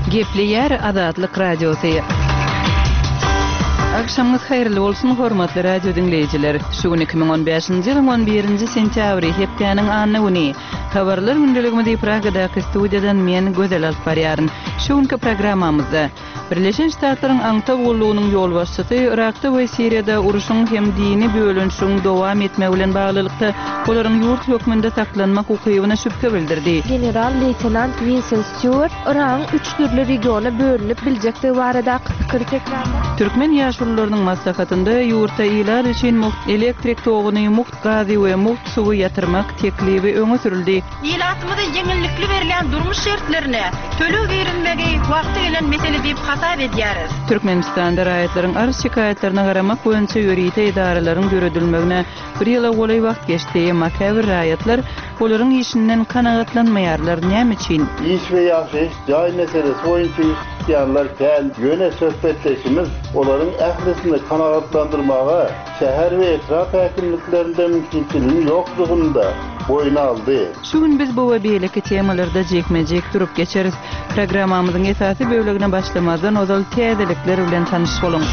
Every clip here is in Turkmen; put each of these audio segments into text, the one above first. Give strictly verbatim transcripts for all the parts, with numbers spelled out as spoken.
Gepleýär Azatlyk Radiosy. Agşamyňyz haýyrly bolsun, hormatly radio diňleýjiler. Şu gün iki müň on bäşinji ýylyň on birinji sentýabry, hepdäniň anna güni. Habarlar gündeligimizi Pragadaky studiýadan men Gözel alyp barýaryn. Şu günki programmamyzda Birleşen Ştatlaryň aňtaw gullugynyň ýolbaşçysy Yrakda we Siriýada urşuň hem dini bölünişigiň dowam etmegi bilen baglylykda olaryň ýurt hökmünde saklanmak ukybyna şübhe bildirdi. General-leýtenant Winsent Stýuart Yragyň üç dürli regiona bölünip biljekdigi baradaky pikiri tekrarlady. Türkmen ýaşulularynyň maslahatynda ýurtda ilat üçin mugt elektrik toguny, mugt gazy we mugt suwy ýatyrmak teklibi öňe sürüldi. Ilatymyza ýeňillikli berilýän durmuş şertlerine töleg girizmegi wagty gelen mesele diýip hasap edýäris. Türkmenistanda raýatlaryň arz-şikaýatlaryna garamak boýunça ýörite edaralaryň döredilmegine bir ýyla golaý wagt geçdi, emma käbir raýatlar olaryň işinden kanagatlanmaýarlar. Näme üçin? Iş we ýaşaýyş jaý meselesi boýunça ýüz tutýanlar kän, ýöne söhbetdeşimiz olaryň ählisini kanagatlandyrmaga şäher we etrap häkimliklerinde mümkinçiligiň ýokdugyny-da boýun aldy. Şu gün biz bu we beýleki temalarda jikme-jik durup geçeris. Programmamyzyň esasy bölegine başlamazdan ozal täzelikler bilen tanyş boluň.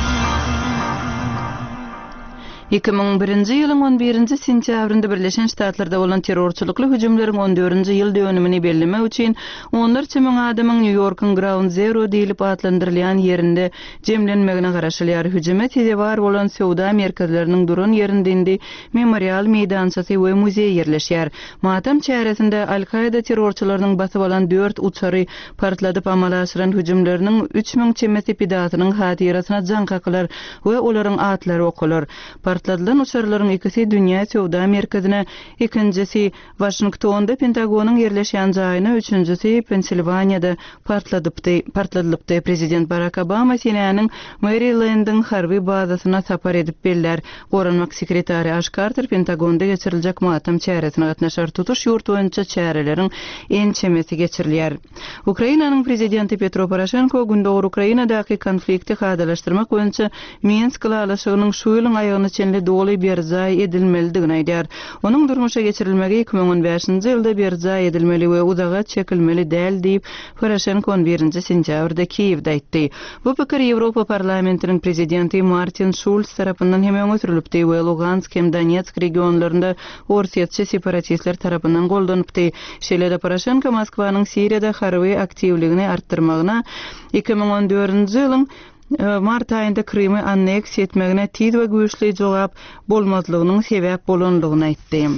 Iki müň birinji ýylyň on birinji sentýabrynda Birleşen Ştatlarda bolan terrorçylykly hüjümleriň on dördünji ýyl dönümini bellemek üçin onlarça müň adamyň Nýu-Ýorkuň Ground Zero diýlip atlandyrylýan ýerinde jemlenmegine garaşylýar. Hüjüme sezewar bolan söwda merkezleriniň duran ýerinde indi memorial meýdançasy we muzeý ýerleşýär. Matam çäresinde Al-Kaýda terrorçylarynyň basyp alan dört uçary partladyp amala aşyran hüjümleriniň üç müň çemesi pidasynyň hatyrasyna jaň kakylar we olaryň atlary okalar. Partladylan uçarlaryň ikisi Dünýä söwda merkezine, ikinjisi Waşingtonda Pentagonyň ýerleşýän jaýyna, üçünjisi Pensilwaniýada partladypdy, partladylypdy. Prezident Barak Obama senäniň Merilendiň harby bazasyna sapar edip bellär. Goranmak sekretary Aş Karter Pentagonda geçiriljek matam çäresine gatnaşar. Tutuş ýurt boýunça çäreleriň ençemesi geçirilýär. Ukrainanyň prezidenti Petro Poroşenko Gündogar Ukrainadaky konflikti kadalaşdyrmak boýunça Minsk ylalaşygynyň şu ýylyň aýagyna çenli doly berjaý edilmelidigini aýdýar. Onuň durmuşa geçirilmegi iki müň on bäşinji ýylda berjaý edilmeli we uzaga çekilmeli däl diýip, Poroşenko on birinji sentýabrda Kiýewde aýtdy. Bu pikir Ýewropa parlamentiniň prezidenti Martin Şulz tarapyndan hem öňe sürülipdi we Lugansk hem Donetsk regionlarynda orsýetçi separatistler tarapyndan goldanypdy. Şeýle-de Poroşenko Moskwanyň Siriýada harby aktiwligini artdyrmagyna iki müň on dördünji ýylyň mart aýynda Krymy anneksiýa etmegine tiz we güýçli jogap bolmazlygynyň sebäp bolanlygyny aýtdy.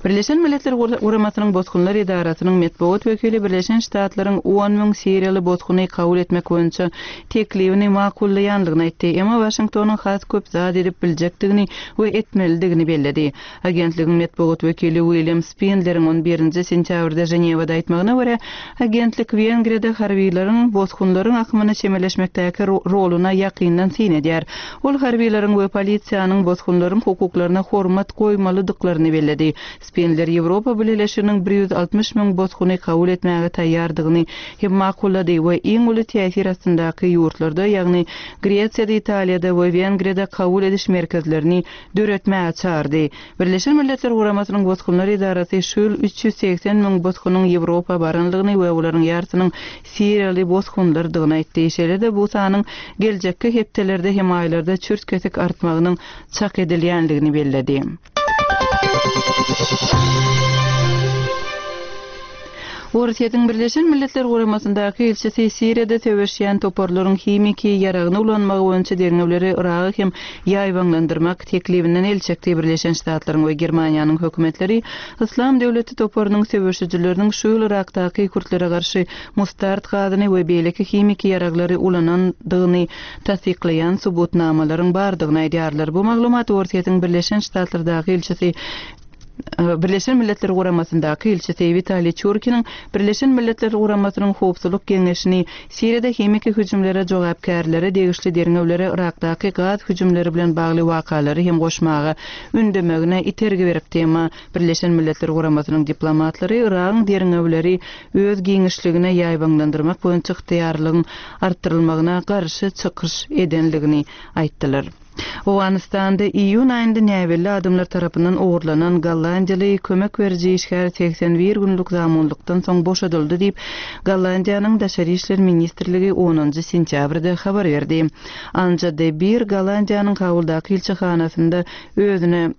Birleşen Milletler Guramasynyň Bosgunlar edarasynyň metbugat wekili Birleşen Ştatlaryň on müň siriýaly bosguny kabul etmek boýunça teklibini makullaýanlygyny aýtdy. Emma Waşingtonyň has köp zat edip biljekdigini we etmelidigini belledi. Agentligiň metbugat wekili William Spindleriň on birinji sentýabrda Ženewada aýtmagyna görä, agentlik Wengriýada harbiýlaryň bosgunlaryň akymyna çemeleşmekdäki roluna ýakyndan syn edýär. Ol harbiýlaryň we polisiýanyň bosgunlaryň hukuklaryna hormat goýmalydyklaryny belledi. Spindler Ýewropa Bileleşiginiň bir ýüz altmyş müň bosguny kabul etmäge taýýardygyny hem makullady we iň uly täsir astyndaky ýurtlarda, ýagny Gresiýada, Italiýada we Wengriýada kabul ediş merkezlerini döretmäge çağırdy. Birleşen Milletler Guramasynyň Bosgunlar edarasy şu ýyl üç ýüz segsen müň bosgunyň Ýewropa baranlygyny we olaryň ýarsynyň siriýaly bosgunlardygyny aýtdy. Şeýle-de bu sanyň geljekki hepdelerde hem aýlarda çürt-kesik artmagynyň çak edilýänligini belledi. Orsýetiň Birleşen Milletler Guramasyndaky ilçisi Siriýada söweşýän toparlaryň himiki ýaragyny ulanmagy boýunça derňewleri Yragy hem ýaýbaňlandyrmak teklibinden el çekdi. Birleşen Ştatlaryň we Germaniýanyň hökümetleri Yslam döwleti toparynyň söweşijileriniň şu ýyl Yrakdaky kürtlere garşy mustard gazyny we beýleki himiki ýaraglary ulanandygyny tassyklaýan subutnamalaryň bardygyny aýdýarlar. Bu maglumat Orsýetiň Birleşen Ştatlardaky ilçisi Birleşen Milletler Guramasyndaky ilçisi Witaliý Çurkiniň Birleşen Milletler Guramasynyň Howpsuzlyk Geňeşini Siriýada himiki hüjümlere jogapkärlere degişli derňewlere Yrakdaky gaz hüjümleri bilen bagly wakalary hem goşmaga ündemegine itergi beripdi. Emma Birleşen Milletler Guramasynyň diplomatlary Yragyň derňewleri öz giňişligine ýaýbaňlandyrmak boýunça ygtyýarlygyň artdyrylmagyna garşy çykyş edenligini aýtdylar. Owganystanda iýun aýynda näbelli adamlar tarapyndan ogurlanan gollandiýaly kömek beriji işgär segsen bir günlük zamunlykdan soň boşadyldy diýip, Gollandiýanyň Daşary işler ministrligi onunjy sentýabrda habar berdi. Anja de Bir Gollandiýanyň Kabuldaky ilçihanasynda özüne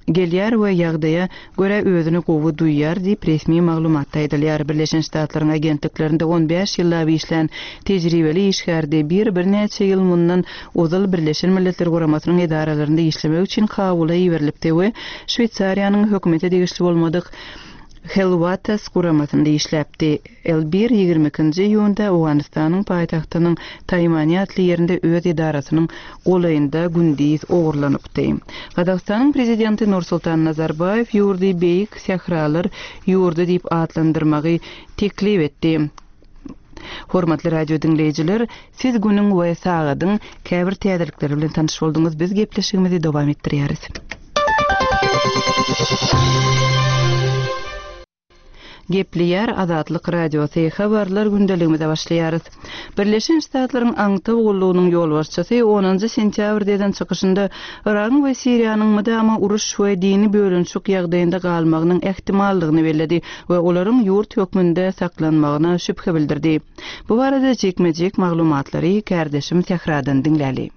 gelýär we ýagdaýa görä özüni gowy duýýar diýip resmi maglumatda aýdylýar. Birleşen Ştatlaryň agentliklerinde on bäş ýyllap işlän tejribeli işgär De Bir birnäçe ýyl mundan ozal Birleşen Milletler Guramasynyň edaralarynda işlemek üçin Kabula iberilipdi we Şweýsariýanyň hökümete degişli bolmadyk Helwatas guramasynda işläpdi. El bir ýigrimi ikinji iýunda Owganystanyň paýtagtynyň Taýmani atly ýerinde öz edarasynyň golaýynda gündiz ogurlanypdy. Gazagystanyň prezidenti Nursultan Nazarbaýew ýurdy Beýik Sähralar ýurdy diýip atlandyrmagy teklip etdi. Hormatly radio diňleýjiler, siz günüň we sagadyň käbir täzelikleri bilen tanyş bolduňyz. Biz gepleşigimizi dowam etdirýäris. Gepleýär Azatlyk Radiosy habarlar gündeligimize başlaýarys. Birleşen Ştatlaryň Aňtaw gullugynyň ýolbaşçysy onunjy sentýabrda eden çykyşynda Yragyň we Siriýanyň mydama uruş we dini bölünişik ýagdaýynda galmagynyň ähtimallygyny belledi we olaryň ýurt hökmünde saklanmagyna şübhe bildirdi. Bu barada jikme-jik maglumatlary kärdeşim Sähradan diňläli.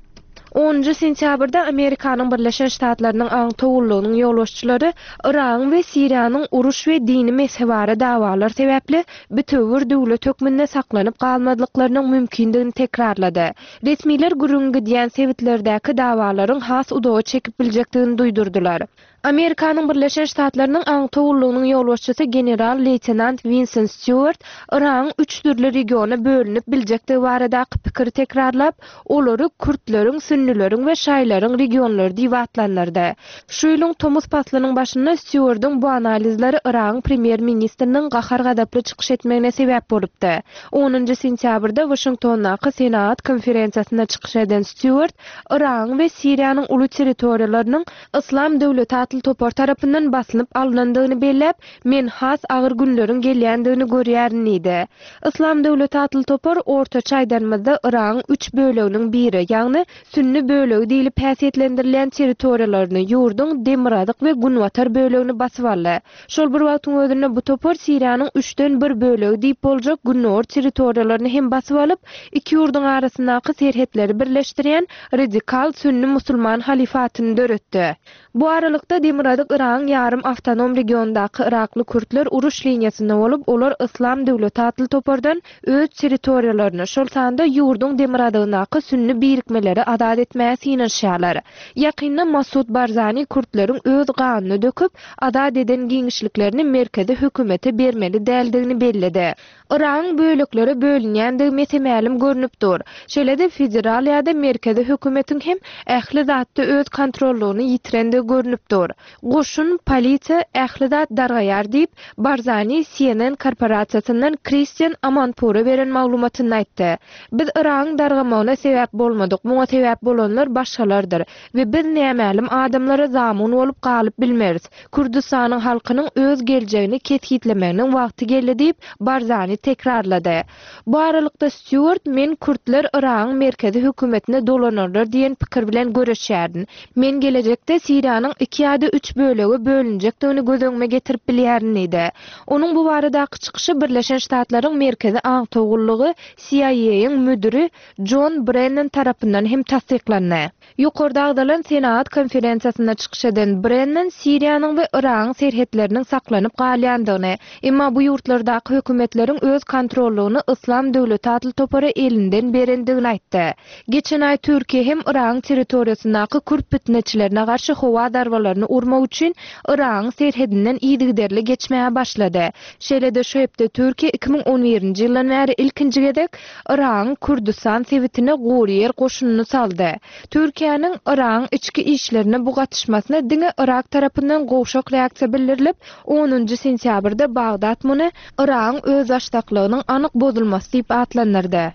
Onunjy sentýabrda Amerikanyň Birleşen Ştatlarynyň Aňtaw gullugynyň ýolbaşçylary Yragyň we Siriýanyň uruş we dini mezhebara dawalar sebäpli bütewür döwlet hökmünde saklanyp galmazlyklarynyň mümkindigini tekrarlady. Resmiler gürrüň gidýän sebitlerdäki dawalaryň has uzaga çekip biljekdigini duýdurdylar. Amerikanyň Birleşen Ştatlarynyň Aňtaw gullugynyň ýolbaşçysy general-leýtenant Winston Stewart Yragyň üç dürli regiona bölünip biljekdigi baradaky pikiri tekrarlap, olary kürtleriň, sünnileriň we şaýlaryň regionlary diýip atlandyrdy. Şu ýylyň tomus paslynyň başynda Stewartyň bu analizleri Yragyň premýer-ministriniň gahar-gazaply çykyş etmegine sebäp bolupdy. Onunjy sentýabrda Waşingtondaky Senat konferensiýasynda çykyş eden Stewart Yragyň we Siriýanyň uly territoriýalarynyň Islam döwleti atly topar tarapyndan basylyp alynandygyny belläp, men has agyr günleriň gelýändigini görýärin diýdi. Islam döwleti atly topar ortaça aýdanymyzda Yragyň üç böleginiň biri, ýagny sünni bölegi diýlip häsiýetlendirilýän territoriýalaryny, ýurduň demirgazyk we günbatar bölegini basyp aldy. Şol bir wagtyň özünde bu topar Siriýanyň üçden bir bölegi diýip boljak gündogar territoriýalaryny hem basyp alyp, iki ýurduň arasyndaky serhetleri birleşdirýän radikal sünni musulman halifatyny döretdi. Bu aralykda demirgazyk Yragyň ýarym awtonom regiondaky Yrakly kürtler uruş liniýasynda bolup, olar Islam döwleti atly topardan öz territoriýalaryny, şol sanda ýurduň demirgazygyndaky sünni birikmeleri azat etmäge synanyşýarlar. Ýakynda Masud Barzani kürtleriň öz ganyny döküp, azat eden giňişliklerini merkezi hökümete bermeli däldigini belledi. Yragyň böleklere bölünýändigi mesemälim görnüp dur. Şeýle-de federal ýa-da merkezi hökümetiň hem ähli zatda öz kontrollygyny ýitirendigi görnüp dur. Goşun, polisiýa ähli zat dargaýar diýip, Barzani C N N korporasiýasyndan Christian Amanpura beren maglumatyny aýtdy. Biz Yragyň dargamagyna sebäp bolmadyk, muňa sebäp bolanlar başgalardyr we biz nämälim adamlara zamun bolup galyp bilmeris. Kürdistanyň halkynyň öz geljegini kesgitlemeginiň wagty geldi diýip, Barzani tekrarlady. Bu aralykda Stewart men kürtler Yragyň merkezi hökümetine dolanarlar diýen pikir bilen görüşýärdim. Men gelejekde Siriýanyň iki ýa-da üç bölege bölünjekdigini göz öňüme getirip bilýärin diýdi. Onuň bu baradaky çykyşy Birleşen Ştatlaryň Merkezi Aňtaw gullugy C I A-iň müdiri John Brennan tarapyndan hem tassyklandy. Ýokarda agzalan Senat konferensiýasynda çykyş eden Brennan Siriýanyň we Yragyň serhetleriniň saklanyp galýandygyny, emma bu ýurtlardaky hökümetleriň öz kontrollygyny Islam döwleti atly topara elinden berendigini aýtdy. Geçen aý Türkiýe hem Yragyň territoriýasyndaky kürt pitneçilerine garşy howa zarbalaryny urmak üçin Yragyň serhedinden yzygiderli geçmäge başlady. Şeýle-de şu hepde Türkiýe iki müň on birinji ýyldan bäri ilkinji gezek Yragyň Kürdistan sebitine gury ýer goşunyny saldy. Türkiýäniň Yragyň içki işlerine bu gatyşmasyna diňe Yrak tarapyndan gowşak reaksiýa bildirilip, onunjy sentýabrda Bagdat muny Yragyň özbaşdaklygynyň anyk bozulmasy diýip atlandyrdy.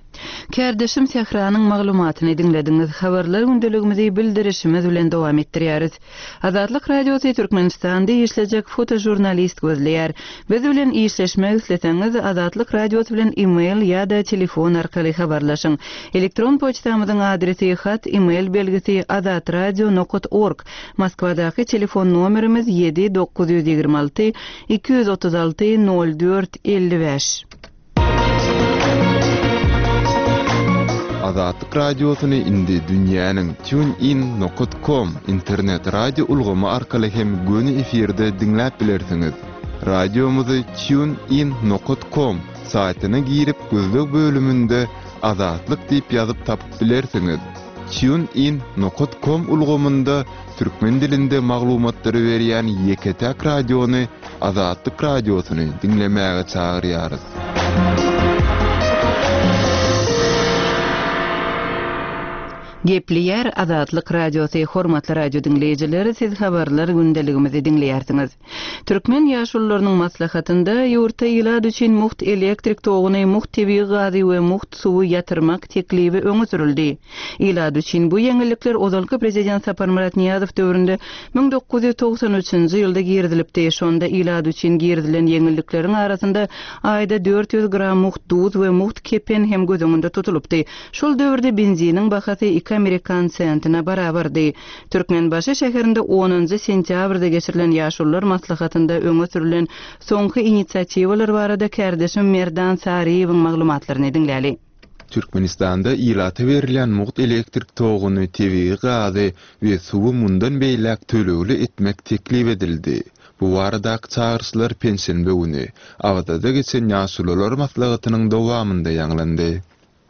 Kärdeşim Sähranyň maglumatyny diňlediňiz. Habarlar gündeligimizi bildirişimiz bilen dowam etdirýäris. Azatlyk Radiosy Türkmenistanda işlejek fotožurnalist gözleýär. Biz bilen işleşmek isleseňiz, Azatlyk Radiosy bilen e-mail ýa-da telefon arkaly habarlaşyň. Elektron poçtamyzyň adresi hat e-mail belgisi azatradio.org. Moskwadaky telefon nomerimiz ýedi dokuz ýüz ýigrimi alty iki ýüz otuz alty nol dört elli bäş. Azatlyk Radiosyny indi dünýäniň tunein nokta com internet radio ulgamy arkaly hem göni efirde diňläp bilersiňiz. Radiomyzy tunein nokta com saýtyna girip gözleg bölüminde Azatlyk diýip ýazyp tapyp bilersiňiz. Tunein nokta com ulgamynda türkmen dilinde maglumatlary berýän ýeke-täk radiony Azatlyk Radiosyny diňlemäge çagyrýarys. Gepleýär Azatlyk Radiosy, hormatly radio diňleýjileri, siz habarlar gündeligimizi diňleýärsiňiz. Türkmen ýaşulularynyň maslahatynda ýurtda ilat üçin mugt elektrik toguny, mugt tebigy gazy we mugt suwy ýatyrmak teklibi öňe sürüldi. Ilat üçin bu ýeňillikler ozalky prezident Saparmyrat Nyýazow döwründe müň dokuz ýüz togsan üçünji ýylda girizilipdi. Şonda ilat üçin girizilen ýeňillikleriň arasynda aýda dört ýüz gram mugt duz we mugt kepen hem göz öňünde tutulypdy. Şol döwürde benziniň bahasy iki amerikan sentine barabardy. Türkmenbaşy şäherinde onunjy sentýabrda geçirilen ýaşulular maslahatynda öňe sürülen soňky inisiatiwalar barada kärdeşim Merdan Saryýewiň maglumatlaryny diňläli. Türkmenistanda ilata berilýän mugt elektrik toguny, tebigy gazy we suwy mundan beýläk tölegli etmek teklip edildi. Bu baradaky çagyryşlar penşenbe güni Awazada geçen ýaşulular maslahatynyň dowamynda ýaňlandy.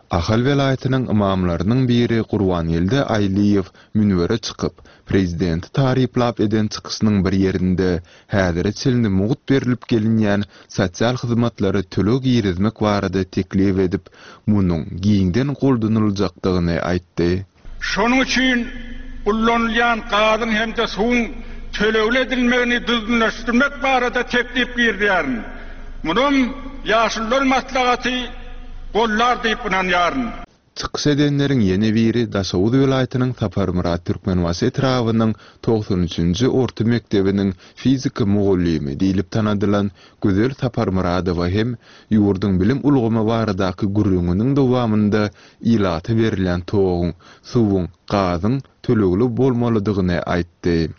Ahal welaýatynyň imamlarynyň biri Gurbangeldi Aýlyýew münbere çykyp, prezidenti taryplap eden çykyşynyň bir ýerinde häzire çenli mugt berilip gelinýän sosial hyzmatlary töleg girizmek barada teklip edip, munuň giňden goldanyljakdygyny aýtdy. Şonuň üçin ullanylýan gazyň hem-de suwuň tölegli edilmegini düzgünleşdirmek barada teklip girizýärin. Munuň ýaşulular maslahaty gollar diýip ynanýaryn. Çykyş edenleriň ýene biri Daşoguz welaýatynyň Saparmyrat Türkmenbaşy etrabynyň togsan üçünji orta mekdebiniň fizika mugallymy diýlip tanadylan Gözel Saparmyradowa hem ýurduň bilim ulgamy baradaky gürrüňiniň dowamynda ilata berilýän toguň, suwuň, gazyň tölegli bolmalydygyny aýtdy.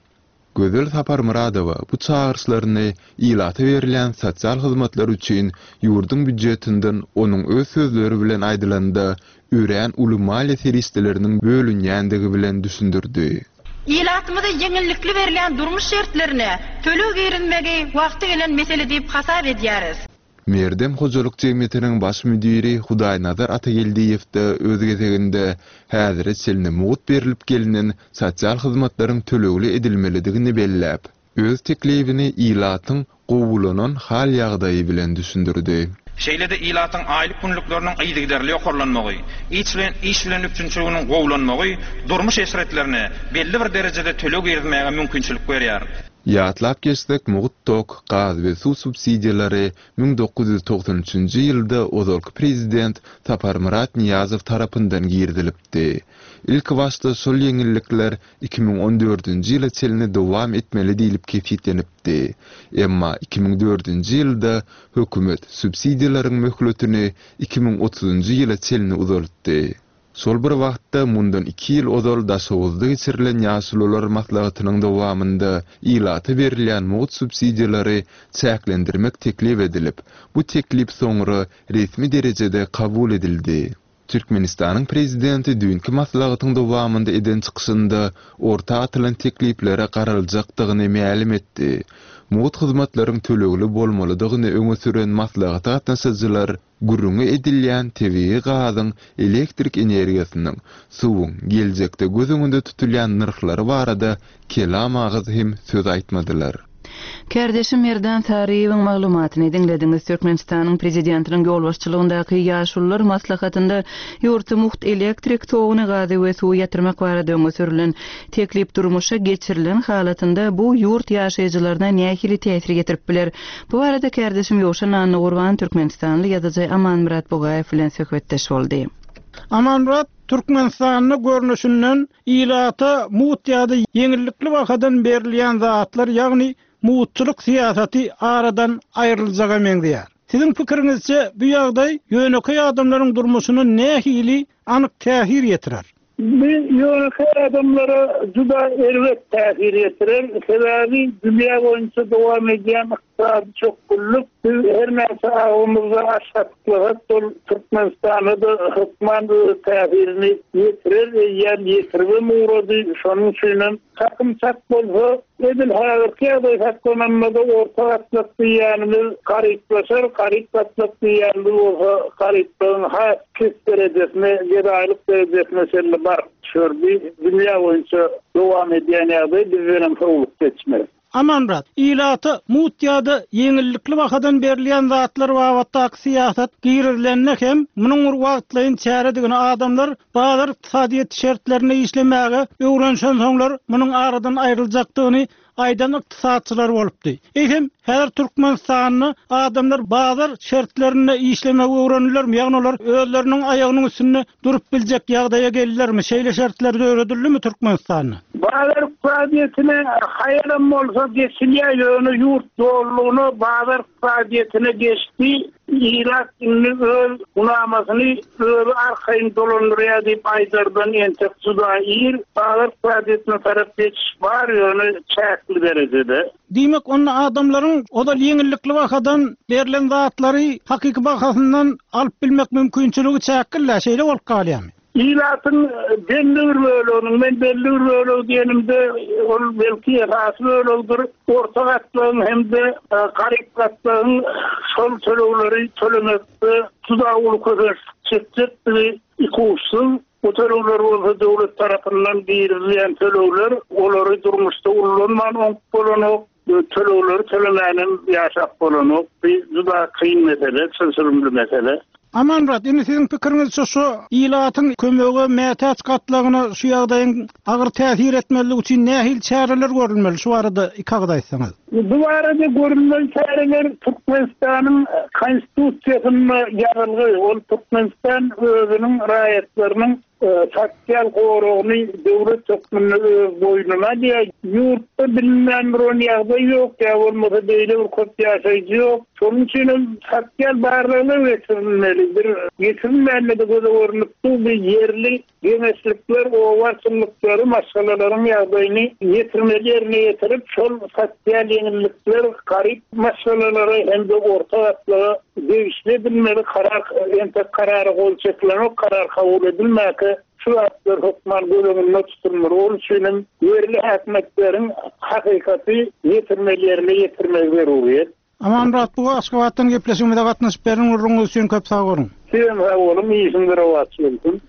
Gözel Saparmyradowa bu çagyryşlaryny ilata berilýän sosial hyzmatlar üçin ýurduň býujetinden onuň öz sözleri bilen aýdylanda örän uly maliýe serişdeleriniň bölünýändigi bilen düşündirdi. Ilatymyza ýeňillikli berilýän durmuş şertlerine töleg girizmegi wagty gelen mesele diýip hasap edýäris. Merdem hojalyk jemgyýetiniň baş müdiri Hudaýnazar Atageldiýew-de öz gezeginde häzire çenli mugt berilip gelinen sosial hyzmatlaryň tölegli edilmelidigini belläp, öz teklibini ilatyň gowulanan hal ýagdaýy bilen düşündirdi. Şeýle-de ilatyň aýlyk günlükleriniň yzygiderli ýokarlanmagy, iş bilen, iş bilen üpjünçiliginiň gowulanmagy durmuş eşretlerine belli bir derejede töleg girizmäge mümkinçilik berýär. Ýatlap geçsek, mugt tok, gaz we suw subsidiýalary müň dokuz ýüz togsan üçünji ýylda ozalky prezident Saparmyrat Nyýazow tarapyndan girizilipdi. Ilki başda şol ýeňillikler iki müň on dördünji ýyla çenli dowam etmeli diýlip kesgitlenipdi. Emma iki müň dördünji ýylda hökümet subsidiýalaryň möhletini iki müň otuzunjy ýyla çenli uzaltdy. Şol bir wagtda mundan iki ýyl ozal Daşoguzda geçirilen ýaşulular maslahatynyň dowamynda ilata berilýän mugt subsidiýalary çäklendirmek teklip edilip, bu teklip soňra resmi derejede kabul edildi. Türkmenistanyň prezidenti düýnki maslahatyň dowamynda eden çykyşynda orta atylan tekliplere garaljakdygyny mälim etdi. Mugt hyzmatlaryň tölegli bolmalydygyny öňe süren maslahata gatnaşyjylar gürrüňi edilýän tebigy gazyň, elektrik energiýasynyň, suwuň geljekde göz öňünde tutulýan nyrhlary barada kelam agyz hem söz aýtmadylar. Kärdeşim Merdan Saryýewiň maglumatyny diňlediňiz. Türkmenistanyň Prezidentiniň ýolbaşçylygyndaky Ýaşulular maslahatynda ýurtda mugt elektrik toguny, gazy we suwy ýatyrmak barada öňe sürülen teklip durmuşa geçirilen halatynda bu ýurt ýaşaýjylaryna nähili täsir ýetirip biler? Bu barada kärdeşim Ýowşan Annagurban türkmenistanly ýazyjy Amanmyrat Bugaýew bilen söhbetdeş boldy. Amanmyrat, Türkmenistanda görnüşinden ilata mugt ýa-da ýeňillikli bahadan berilýän zatlar, ýagny mugtçulyk syýasaty aradan aýryljaga meňzeýär. Siziň pikiriňizçe bu ýagdaý ýönekeý adamlaryň durmuşyna nähili anyk täsir ýetirer? Bu ýönekeý adamlara juda erbet täsir ýetirer. Sebäbi dünýä boýunça dowam edýän ykdysady çökgünlik biz her näçe agymyzda aşgatlyklyk ol Türkmenistana-da hökman öz täsirini ýetirer, eýýäm ýetiribem ugrady. Şonuň üçinem çakym çak bolsa, edil häzirki ýagdaý saklananda orta gatlak diýýänimiz garyplaşar, garyp gatlak diýýänimiz bolsa garyplygyň has pes derejesine, gedaýlyk derejesine çenli baryp düşer. Bu dünýä boýunça dowam edýän ýagdaý bizdenem sowlup geçmez. Amanmyrat, ilata mugt ýa-da ýeňillikli bahadan berilýän zatlar babatdaky syýasat girizilende hem munuň bir wagtlaýyn çäredigini adamlar bazar ykdysadyýet şertlerinde işlemäge öwrenşensoňlar munuň aradan aýryljakdygyny aýdan ykdysatçylar bolupdy. Eýsem, häzir Türkmenistanda adamlar bazar şertlerinde işlemegi öwrendilermi? Ýagny olar özleriniň aýagynyň üstünde durup biljek ýagdaýa geldilermi? Şeýle şertler döredildimi Türkmenistanda? Bazar ykdysadyýetine haýalam bolsa geçilýär, ýöne ýurt dollugyna bazar ykdysadyýetine geçdi. Ilat indi öz gunamasyny özi arkaýyn dolandyrýar diýip aýdardan entek juda ir. Bazar ykdysadyýetine tarap geçiş bar, ýöne çäkli derejede. Diýmek, onda adamlaryň ozal ýeňillikli bahadan berlen zatlary hakyky bahasyndan alyp bilmek mümkinçiligi çäkli, şeýle bolup galýarmy? Ilatyň belli bir böleginiň, men belli bir bölegi diýenimde ol belki esasy bölegidir, orta gatlagyň hem-de garyp gatlagyň şol tölegleri tölemekde juda uly kösençlik çekjekdigi ikuçsuz. Bu tölegler bolsa döwlet tarapyndan girizilýän tölegler, olary durmuşda ullanman oňup bolanok, tölegleri tölemänem ýaşap bolanok. Bu juda kyn mesele, çylşyrymly mesele. Amanmyrat, indi siziň pikiriňizçe şu ilatyň kömege mätäç gatlagyna şu ýagdaýyň agyr täsir etmezligi üçin nähili çäreler görülmeli? Şu barada iki agyz aýtsaňyz. Bu barada görülmeli çäreler Türkmenistanyň Konstitusiýasynda ýazylgy. Ol Türkmenistan özüniň raýatlarynyň sotsial goragyny döwlet hökmünde öz boýnuna alýar. Ýurtda bilinmän bir ýagdaý ýok, ýa bolmasa beýle bir köp ýaşaýjy ýok. Şonuň üçin hem sotsial barlaglar geçirilmeli. Bir geçirilmände de göze görünip dur, bir ýerli geňeşlikler, oba çynlyklary maşgalalaryň ýagdaýyny ýetirmeli ýerine ýetirip, şol sotsial ýeňillikler garyp maşgalalara hem-de orta gatlaga degişli edilmeli. Karar, entek karara gol çekilenok, karar kabul edilmäge şu zatlar hökman göz öňünde tutulmaly. Onuň üçin hem ýerli häkimiýetleriň hakykaty ýetirmeli ýerine ýetirmegi zeruriyet. Amanmyrat, bu Aşgabatdan gepleşigimize gatnaşyp beren gürrüňiňiz üçin köp sag boluň. Sizem sag boluň, işiňiz rowaç bolsun.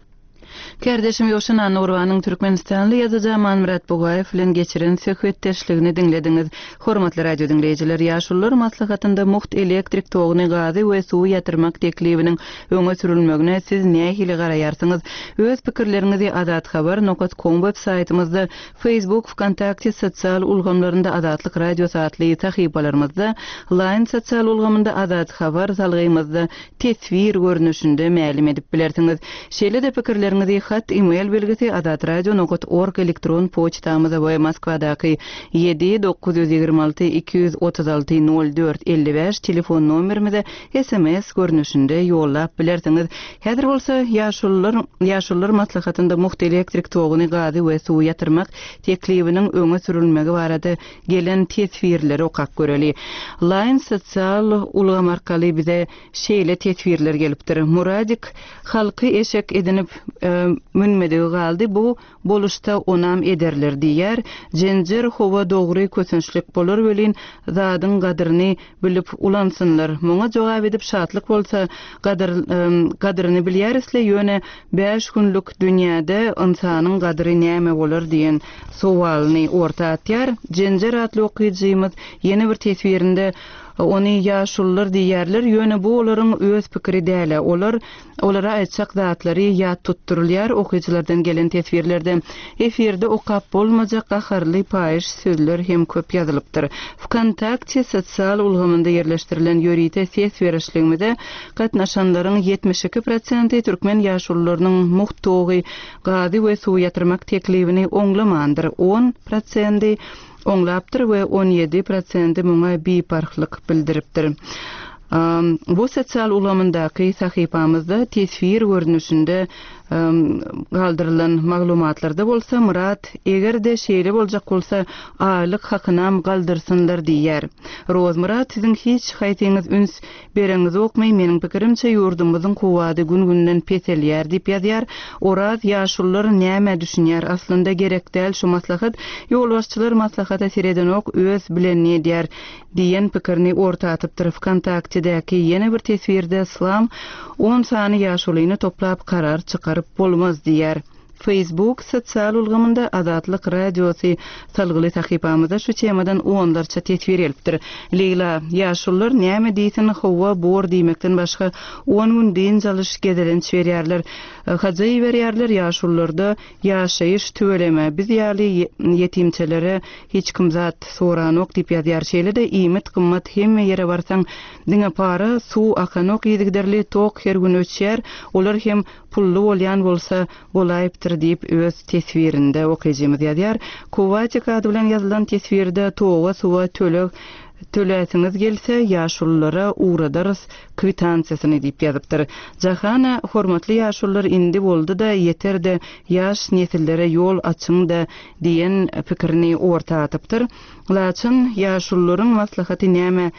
Kärdeşim Ýowşan Annagurbanyň Türkmenistanly ýazyjy Amanmyrat Bugaýew bilen geçiren söhbetdeşligini diňlediňiz. Hormatly radio diňleýjiler, ýaşulular maslahatynda mugt elektrik toguny, gazy we suwy ýatyrmak teklibiniň öňe sürülmegine siz nähili garaýarsyňyz? Öz pikirleriňizi azathabar nokta com web saýtymyzda, Facebook, VKontakte sosial ulgamlarynda Azatlyk Radiosy atly sahypalarymyzda, Line sosial ulgamynda Azat Habar salgymyzda teswir görnüşinde mälim edip bilersiňiz. Şeýle-de pikirleriňizi hat e-mail belgisi azatradio nokta org elektron poçtamyza we Moskwadaky ýedi dokuz ýüz ýigrimi alty iki ýüz otuz alty nol dört elli bäş telefon nomerimize S M S görnüşinde ýollap bilersiňiz. Häzir bolsa ýaşulular, ýaşulular maslahatynda mugt elektrik toguny, gazy we suwy ýatyrmak teklibiniň öňe sürülmegi barada gelen teswirleri okap göreli. Line sosial ulgam arkaly bize şeýle teswirler gelipdir. Muradik halky eşek edinip, e, münmedigi galdy bu boluşda onam ederler diýär. Jenjer howa dogry kösençlik bolar welin zadyň gadyryny bilip ulansynlar. Muňa jogap edip şatlyk bolsa gadyr, gadyryny bilýärisle ýöne bäş günlük dünýäde ynsanyň gadyry näme bolar diýen sowalyny orta atýar. Jenjer atly okyjymyz ýene bir teswirinde ony ýaşulular diýerler, ýöne bu olaryň öz pikiri däl. Olar olara aýtjak zatlary ýat tutdurylýar okyjylardan gelen teswirlerde. Efirde okap bolmajak gaharly paýyş sözler hem köp ýazylypdyr. Vkontakte sosial ulgamynda ýerleşdirilen ýörite ses berişligimize gatnaşanlaryň ýetmiş iki prosenti türkmen ýaşulularynyň mugt togy, gazy we suw ýatyrmak teklibini oňlamandyr. on prosenti oňlapdyr we on ýedi prosenti muňa biparhlyk bildiripdir. Bu sosial ulgamyndaky sahypamyzda teswir görnüşinde galdyrylan maglumatlarda bolsa Murat eger-de şeýle boljak bolsa aýlyk hakynam galdyrsynlar diýär. Rozmurat siziň hiç haýsyňyz üns bereňiz ýokmy? Meniň pikirimçe ýurdumyzyň kuwwady gün-günden peselýär diýip ýazýar. Oraz ýaşulular näme düşünýär? Aslynda gerek däl şu maslahat. Ýolbaşçylar maslahata seredenok öz bilenini edýär diýen pikirini orta atypdyr. Vkontaktedäki ýene bir teswirde Islam on sany ýaşulyny toplap karar çykaryp bolmaz diýär. Facebook sosial ulgamynda Azatlyk radiosy salgyly sahypamyzda şu temadan onlarça teswir gelipdir. Leýla, ýaşulular näme diýsin, howa bor diýmekden başga on gün dynç alyş gezelenç berýärler. Hajaý berýärler ýaşulularda ýaşaýyş tüweleme. Biz ýaly ýetimçelere hiç kim zat soranok diýip ýazýar. Şeýle-de iýmit gymmat hemme ýere barsaň diňe para, suw akanok yzygiderli, tok her gün öçýär. Olar hem pully bolýan bolsa bolaýypdyr diýip öz teswirinde okyjymyz ýazýar. Kuwatik ady bilen ýazylan teswirde toga, suwa töleg töläsiňiz gelse ýaşululara ugradarys kwitansiýasyny diýip ýazypdyr. Jahana hormatly ýaşulular indi boldy-da ýeter-de ýaş nesillere ýol açyň-da diýen pikirini orta atypdyr. Laçyn ýaşulularyň maslahaty näme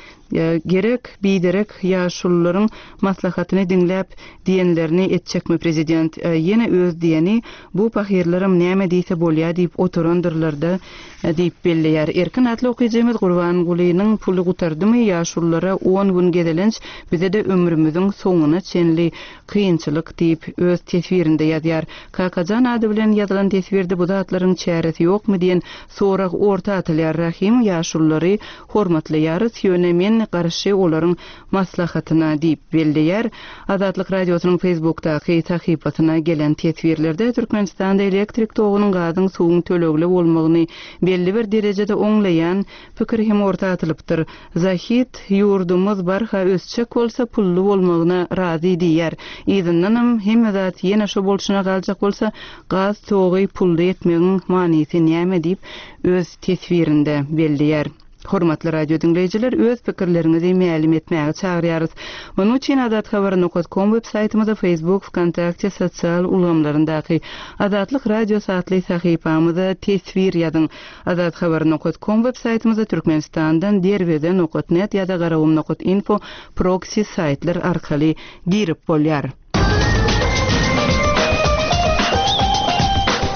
gerek, biderek ýaşulularyň maslahatyny diňläp diýenlerini etjekmi prezident? Ýene öz diýeni bu pahyrlaram näme diýse bolýar diýip oturandyrlar-da diýip belleýär. Erkin atly okyjymyz Gurbangulynyň puly gutardymy ýaşululara on gün gezelenç bize-de ömrümüziň soňuna çenli kynçylyk diýip öz teswirinde ýazýar. Kakajan ady bilen ýazylan teswirde bu zatlaryň çäresi ýokmy diýen sorag orta atylýar. Rahim ýaşululary hormatlaýarys, ýöne men garşy olaryň maslahatyna diýip belleýär. Azatlyk radiosynyň Facebookdaky sahypasyna gelen teswirlerde Türkmenistanda elektrik togunyň, gazyň, suwuň tölegli bolmagyny belli bir derejede oňlaýan pikir hem orta atylypdyr. Zahid ýurdumyz barha ösjek bolsa pully bolmagyna razy diýär. Yzyndanam hemme zat ýene şo bolşuna galjak bolsa gaz togy pully etmegiň manysy näme diýip öz teswirinde belleýär. Hormatly radio diňleýjiler, öz pikirleriňizi mälim etmäge çagyrýarys. Munuň üçin azathabar nokta com web saýtymyzda, Facebook, Vkontakte sosial ulgamlaryndaky Azatlyk Radiosy atly sahypamyza teswir ýazyň. Azathabar nokta com web saýtymyzda Türkmenistandan derweze nokta net ýa-da garagum nokta info proxy saýtlar arkaly girip bolýar.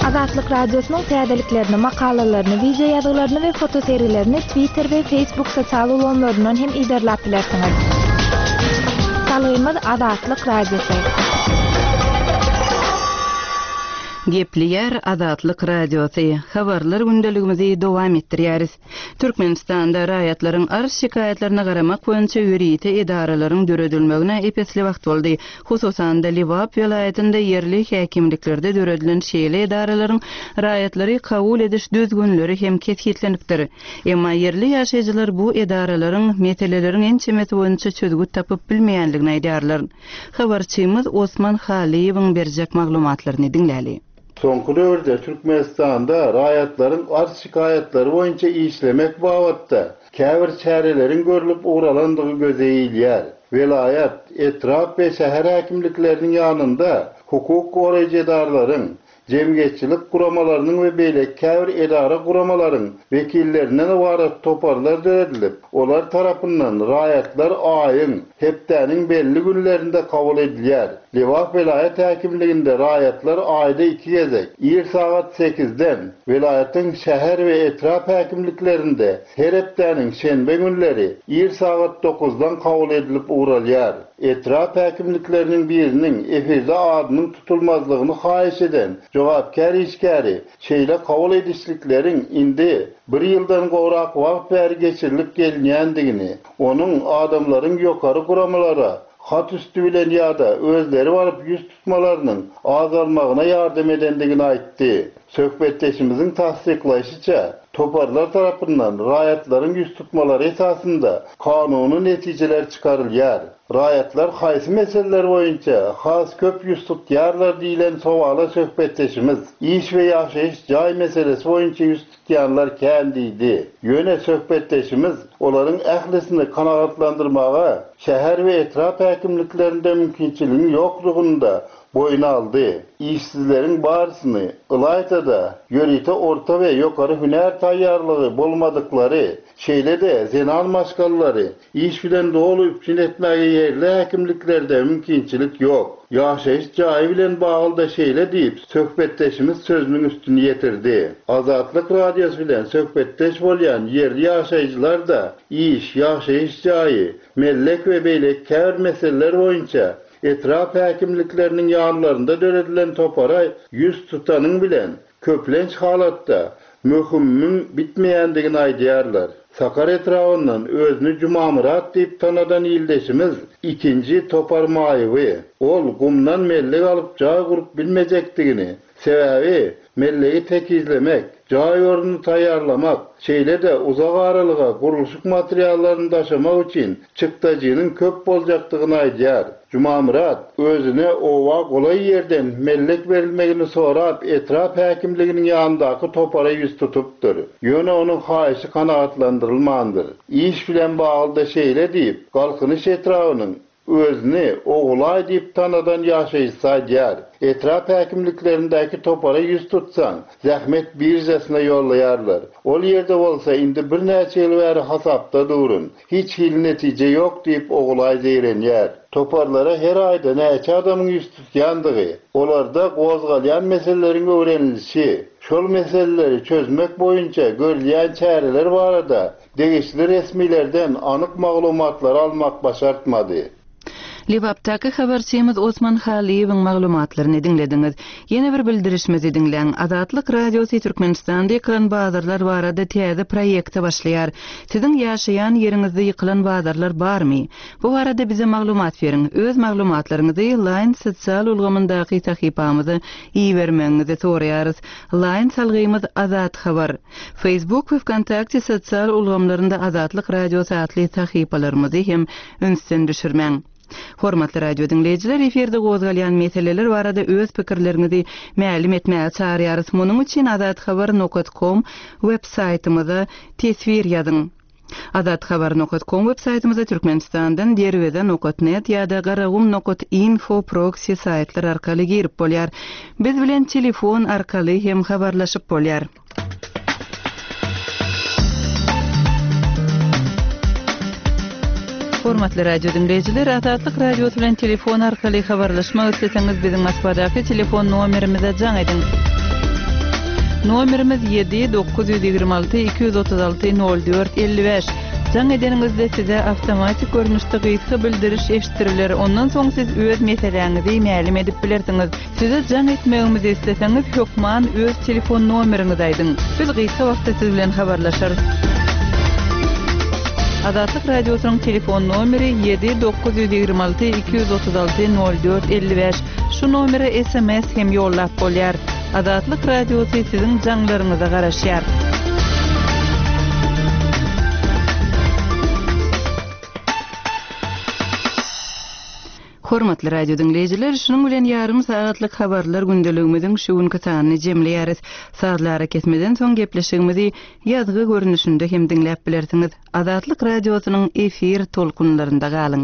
Azatlyk Radiosynyň täzeliklerini, makalalaryny, video ýazgylaryny we fotoserilerini Twitter we Facebook sosial ulgamlaryndan hem iberläp bilersiňiz. Salgymyz Azatlyk Radiosy. Gepleýär Azatlyk Radiosy. Habarlar gündeligimizi dowam etdirýäris. Türkmenistanda raýatlaryň arz şikaýatlaryna garamak boýunça ýörite edaralaryň döredilmegine epesli wagt boldy. Hususan-da Lebap welaýatynda ýerli häkimliklerde döredilen şeýle edaralaryň raýatlary kabul ediş düzgünleri hem kesgitlenipdir. Emma ýerli ýaşaýjylar bu edaralaryň meseleleriň ençemesi boýunça çözgüt tapyp bilmeýänligini aýdýarlar. Habarçymyz Osman Halyýewiň berjek maglumatlaryny diňläli. Soňky döwürde Türkmenistanda raýatlaryň arz şikaýatlary boýunça işlemek babatda käbir çäreleriň görlüp ugralandygy göze ilýär. Welaýat, etrap we şäher häkimlikleriniň ýanynda hukuk goraýjy edaralaryň, jemgyýetçilik guramalarynyň we beýleki käbir edara guramalaryň wekillerinden ybarat toparlar döredilip, olar tarapyndan raýatlar aýyň, hepdäniň belli günlerinde kabul edilýär. Lebap welaýat häkimliginde raýatlar aýda iki gezek, ir sagat sekizden, welaýatyň şäher we etrap häkimliklerinde her hepdäniň şenbe günleri ir sagat dokuzdan kabul edilip ugralýar. Etrap häkimlikleriniň biriniň efirde adynyň tutulmazlygyny haýyş eden jogapkär işgäri şeýle kabul edişlikleriň indi bir ýyldan gowrak wagt bäri geçirilip gelinýändigini, onuň adamlaryň ýokary guramalara hat üstü bilen ýa-da özleri baryp ýüz tutmalarynyň azalmagyna ýardam edendigini aýtdy. Söhbetdeşimiziň tassyklaýşyça, toparlar tarapyndan raýatlaryň ýüz tutmalary esasynda kanuny netijeler çykarylýar. Raýatlar haýsy meseleler boýunça has köp ýüz tutýarlar diýlen sowala söhbetdeşimiz iş we ýaşaýyş jaý meselesi boýunça ýüz tutýanlar kän diýdi. Ýöne söhbetdeşimiz olaryň ählisini kanagatlandyrmaga şäher we etrap häkimliklerinde mümkinçiligiň ýoklugyny boýun aldy. Işsizleriň barysyny ylaýta-da ýörite orta we ýokary hünär taýýarlygy bolmadyklary, şeýle-de zenan maşgalalary iş bilen doly üpjün etmäge ýerli häkimliklerde mümkinçilik ýok. Ýaşaýyş jaýy bilen bagly-da şeýle diýip, söhbetdeşimiz sözüniň üstüni ýetirdi. Azatlyk Radiosy bilen söhbetdeş bolýan ýerli ýaşaýjylar da iş, ýaşaýyş jaýy, mellek we beýleki käbir meseleler boýunça etrap häkimlikleriniň ýanlarynda döredilen topara ýüz tutanyň bilen köplenç halatda möhümiň bitmeýändigini aýdýarlar. Sakar etrabyndan özüni Jumamyrat diýip tanadan ildeşimiz ikinji topar maýyby. Ol gumdan mellek alyp jaý gurup bilmejekdigini, sebäbi mellegi tekizlemek, jaý ornuny taýýarlamak, şeýle-de uzak aralyga gurluşyk materiallaryny daşamak üçin çykdajynyň köp boljakdygyny aýdýar. Jumamyrat özüne owa golaý ýerden mellek berilmegini sorap etrap häkimliginiň ýanyndaky topara ýüz tutupdyr. Ýöne onuň haýyşy kanagatlandyrylmandyr. Iş bilen bagly-da şeýle diýip, Galkynyş etrabynyň özüni Ogulaý diýip tanadan ýaşaýjysy aýdýar. Etrap häkimliklerindäki topara ýüz tutsaň, zähmet birjasyna ýollaýarlar. Ol ýerde bolsa indi birnäçe ýyl bäri hasapda durun. Hiç hili netije ýok diýip Ogulaý zeýrenýär. Toparlara her aýda näçe adamyň ýüz tutýandygy, olarda gozgalýan meseleleriň öwrenilişi, şol meseleleri çözmek boýunça görülýän çäreler barada degişli resmilerden anyk maglumatlary almak başartmady. Lebapdaky habarçymyz Osman Halyýewiň maglumatlaryny diňlediňiz. Ýene bir bildirişimizi diňläň. Azatlyk Radiosy Türkmenistanda ýykylan bazarlar barada täze proýekte başlaýar. Siziň ýaşaýan ýeriňizde ýykylan bazarlar barmy? Bu barada bize maglumat beriň. Öz maglumatlaryňyzy Line sosial ulgamyndaky sahypamyza ibermegiňizi soraýarys. Line salgymyz Azat Habar. Facebook we Vkontakte sosial ulgamlarynda Azatlyk Radiosy atly sahypalarymyzy hem ünsden düşürmäň. Hormatly radio diňleýjiler, efirde gozgalýan meseleler barada öz pikirleriňizi mälim etmäge çagyrýarys. Munuň üçin azathabar nokta com web saýtymyza teswir ýazyň. Azathabar nokta com web saýtymyza Türkmenistandan derweze nokta net ýa-da garagum nokta info proxy saýtlar arkaly girip bolýar. Biz bilen telefon arkaly hem habarlaşyp bolýar. Hormatly radio diňleýjiler, Azatlyk Radiosy bilen telefon arkaly habarlaşmak isleseňiz biziň Moskwadaky telefon nomerimize jaň ediň. Nomerimiz ýedi dokuz ýüz ýigrimi alty iki ýüz otuz alty nol dört elli bäş. Jaň edeniňizde size awtomatik görnüşde gysga bildiriş eşitdiriler. Ondan soň siz öz meseläňizi mälim edip bilersiňiz. Size jaň etmegimizi isleseňiz hökman öz telefon nomeriňizi aýdyň. Biz gysga wagtda siz bilen habarlaşarys. Azatlyk Radiosynyň telefon nomeri ýedi dokuz ýüz ýigrimi alty iki ýüz otuz alty nol dört elli bäş. Şu nomere S M S hem ýollap bolýar. Azatlyk Radiosy siziň jaňlaryňyza garaşýar. Hormatly radio diňleýjiler, şunuň bilen ýarym sagatlyk habarlar gündeligimiziň şu günki sanyny jemleýäris. Sazlara kesmeden soň gepleşigimizi ýazgy görnüşinde hem diňläp bilersiňiz. Azatlyk Radiosynyň efir tolkunlarynda galyň.